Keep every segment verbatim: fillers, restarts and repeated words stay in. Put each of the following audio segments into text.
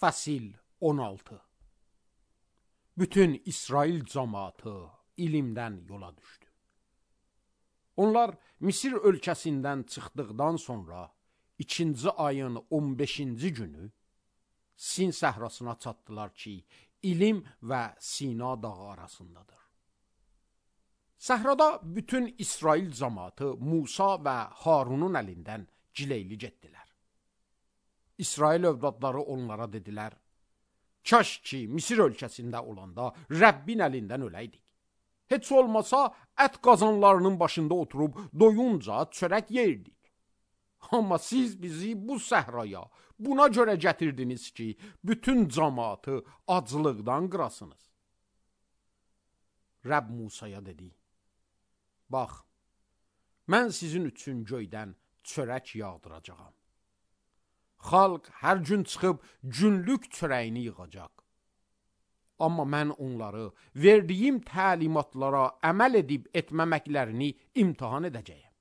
Fəsil on altı. Bütün İsrail cəmaatı ilimdən yola düşdü. Onlar Misir ölkəsindən çıxdıqdan sonra ikinci ayın on beşinci günü Sin səhrasına çatdılar ki, İlim və Sina dağı arasındadır. Səhrada bütün İsrail cəmaatı Musa və Harunun əlindən cileyli getdilər. İsrail övladları onlara dedilər: "Kaş ki, Misir ölkəsində olanda Rəbbin əlindən öləydik. Heç olmasa ət qazanlarının başında oturub doyunca çörək yeyirdik. Amma siz bizi bu səhraya buna görə gətirdiniz ki, bütün cəmaatı aclıqdan qırasınız." Rəbb Musaya dedi: "Bax, mən sizin üçün göydən çörək yağdıracağam. Xalq hər gün çıxıb günlük çörəyini yığacaq. Amma mən onları verdiyim təlimatlara əməl edib etməməklərini imtihan edəcəyəm.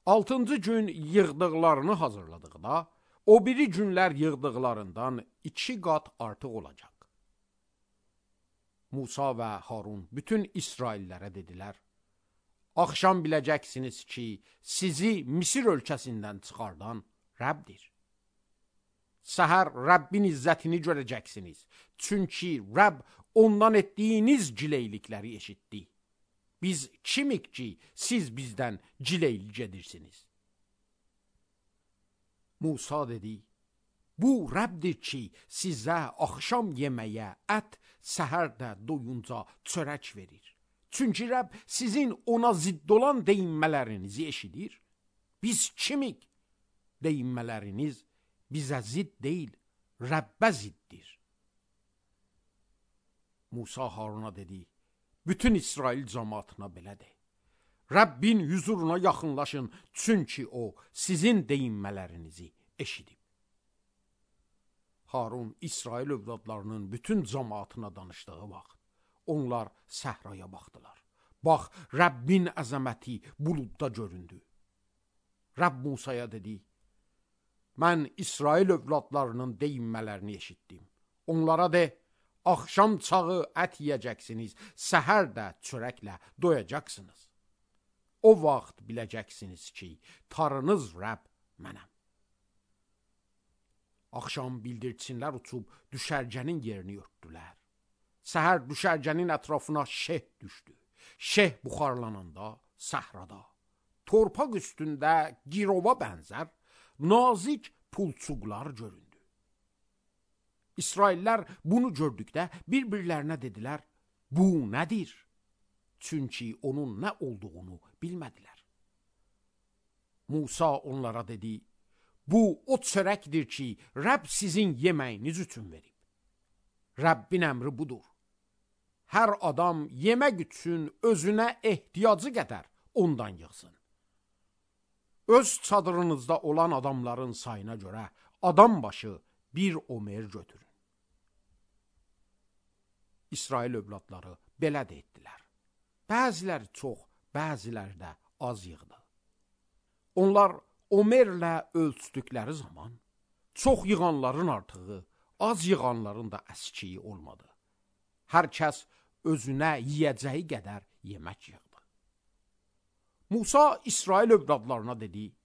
Altıncı gün yığdıqlarını hazırladıqda, o biri günlər yığdıqlarından iki qat artıq olacaq." Musa və Harun bütün İsraillərə dedilər: "Axşam biləcəksiniz ki, sizi Misir ölkəsindən çıxardan Rəbbdir. Səhər Rəbbin izzətini görəcəksiniz. Çünki Rəbb ondan etdiyiniz cileylikləri eşitdi. Biz kimik ki, siz bizdən cileyli gedirsiniz?" Musa dedi: "Bu Rəbbdir ki, sizə axşam yeməyə ət, səhər də doyunca çörək verir. Çünki Rəbb sizin ona zidd olan deyinmələrinizi eşidir. Biz kimik? Deyinmələriniz bizə zidd deyil, Rəbbə ziddir." Musa Haruna dedi: "Bütün İsrail cəmaatına belə de: Rəbbin huzuruna yaxınlaşın, çünki o sizin deyinmələrinizi eşidib." Harun İsrail övladlarının bütün cəmaatına danışdığı vaxt onlar səhraya baxdılar. Bax, Rəbbin əzəməti buludda göründü. Rəbb Musaya dedi: "Mən İsrail övladlarının deyinmələrini eşitdim. Onlara de: Axşam çağı ət yiyəcəksiniz, səhər də çörəklə doyacaqsınız. O vaxt biləcəksiniz ki, Tanrınız Rəbb mənəm." Axşam bildirçinlər uçub düşərgənin yerini örtdülər. Səhər düşərgənin ətrafına şeh düşdü. Şeh buxarlananda səhrada, torpaq üstündə girova bənzər nazik pulçuqlar göründü. İsraillər bunu gördükdə bir-birlərinə dedilər: "Bu nədir?" Çünki onun nə olduğunu bilmədilər. Musa onlara dedi: "Bu o çörəkdir ki, Rəbb sizin yeməyiniz üçün verib. Rəbbin əmri budur: Hər adam yemək üçün özünə ehtiyacı qədər ondan yığsın. Öz çadırınızda olan adamların sayına görə adam başı bir omer götürün." İsrail övladları belə də etdilər. Bəziləri çox, bəziləri də az yığdı. Onlar omerlə ölçdükləri zaman çox yığanların artığı, az yığanların da əskiyi olmadı. Hər kəs özünə yiyəcəyi qədər yemək yığdı. Musa İsrail övladlarına dedi: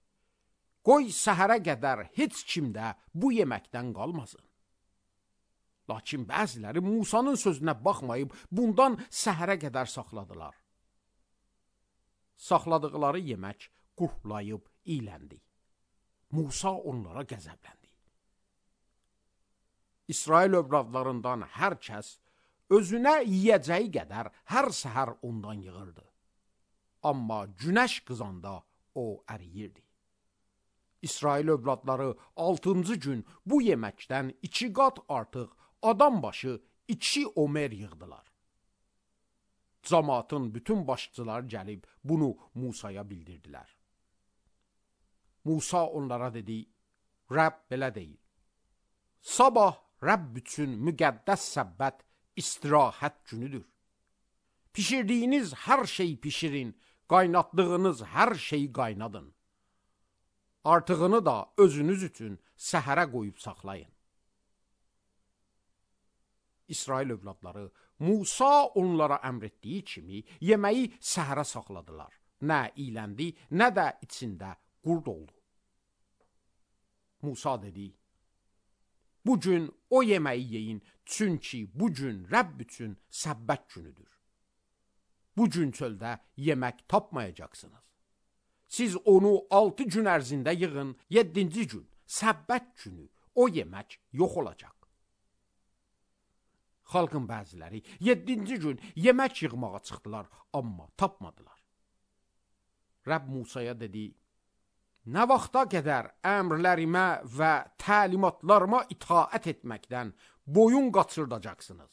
"Qoy səhərə qədər heç kimdə bu yeməkdən qalmasın." Lakin bəziləri Musanın sözünə baxmayıb bundan səhərə qədər saxladılar. Saxladıqları yemək qurtlayıb iyləndi. Musa onlara qəzəbləndi. İsrail övladlarından hər kəs özünə yiyəcəyi qədər hər səhər ondan yığırdı. Amma günəş qızanda o əriyirdi. İsrail övladları altıncı gün bu yeməkdən iki qat artıq adam başı iki omer yığdılar. Cəmaatın bütün başçıları gəlib bunu Musaya bildirdilər. Musa onlara dedi: "Rəbb belə deyil: Sabah Rəbb üçün müqəddəs səbbət istirahət günüdür. Pişirdiyiniz hər şeyi pişirin, qaynatdığınız hər şeyi qaynadın. Artığını da özünüz üçün səhərə qoyub saxlayın. İsrail övladları Musa onlara əmr etdiyi kimi yeməyi səhərə saxladılar. Nə iyləndi, nə də içində qurd oldu. Musa dedi, bu gün o yeməyi yeyin, çünki bu gün Rəbb üçün səbbət günüdür. Bu gün çöldə yemək tapmayacaqsınız. Siz onu altı gün ərzində yığın, yeddinci gün, səbbət günü o yemək yox olacaq. Xalqın bəziləri yeddinci gün yemək yığmağa çıxdılar, amma tapmadılar. Rəbb Musaya dedi, nə vaxta qədər əmrlərimə və təlimatlarıma itaət etməkdən boyun qaçırdacaqsınız?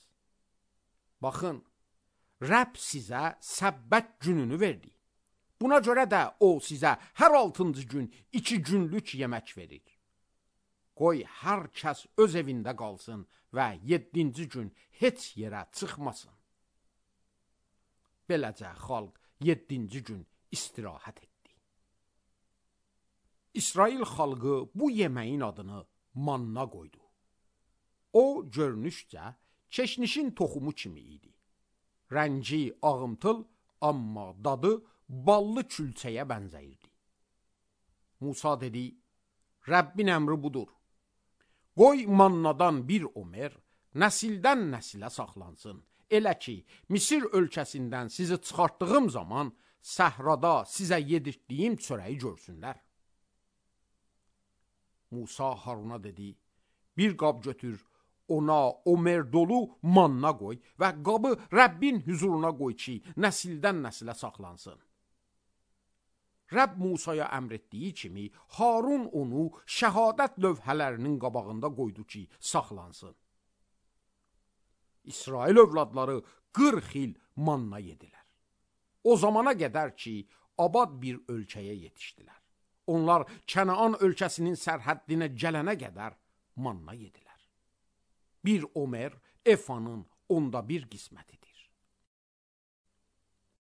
Baxın, Rəbb sizə səbbət gününü verdi. Buna görə də o sizə hər altıncı gün iki günlük yemək verir. Qoy hər kəs öz evində qalsın və yeddinci gün heç yerə çıxmasın. Beləcə xalq yeddinci gün istirahət etdi. İsrail xalqı bu yeməyin adını manna qoydu. O görünüşcə keşnişin toxumu kimi idi. Rəngi ağımtıl, amma dadı ballı külçəyə bənzəyirdi. Musa dedi, Rəbbin əmri budur. Qoy mannadan bir omer nəsildən nəsilə saxlansın. Elə ki, Misir ölkəsindən sizi çıxartdığım zaman səhrada sizə yedirtdiyim çörəyi görsünlər. Musa Haruna dedi, bir qab götür, ona omer dolu manna qoy və qabı Rəbbin huzuruna qoy ki, nəsildən nəsilə saxlansın. Rəbb Musaya əmr etdiyi kimi, Harun onu şəhadət lövhələrinin qabağında qoydu ki, saxlansın. İsrail övladları qırx il manna yedilər. O zamana qədər ki, abad bir ölkəyə yetişdilər. Onlar Kənaan ölkəsinin sərhəddinə gələnə qədər manna yedilər. Bir omer efanın onda bir qismətidir.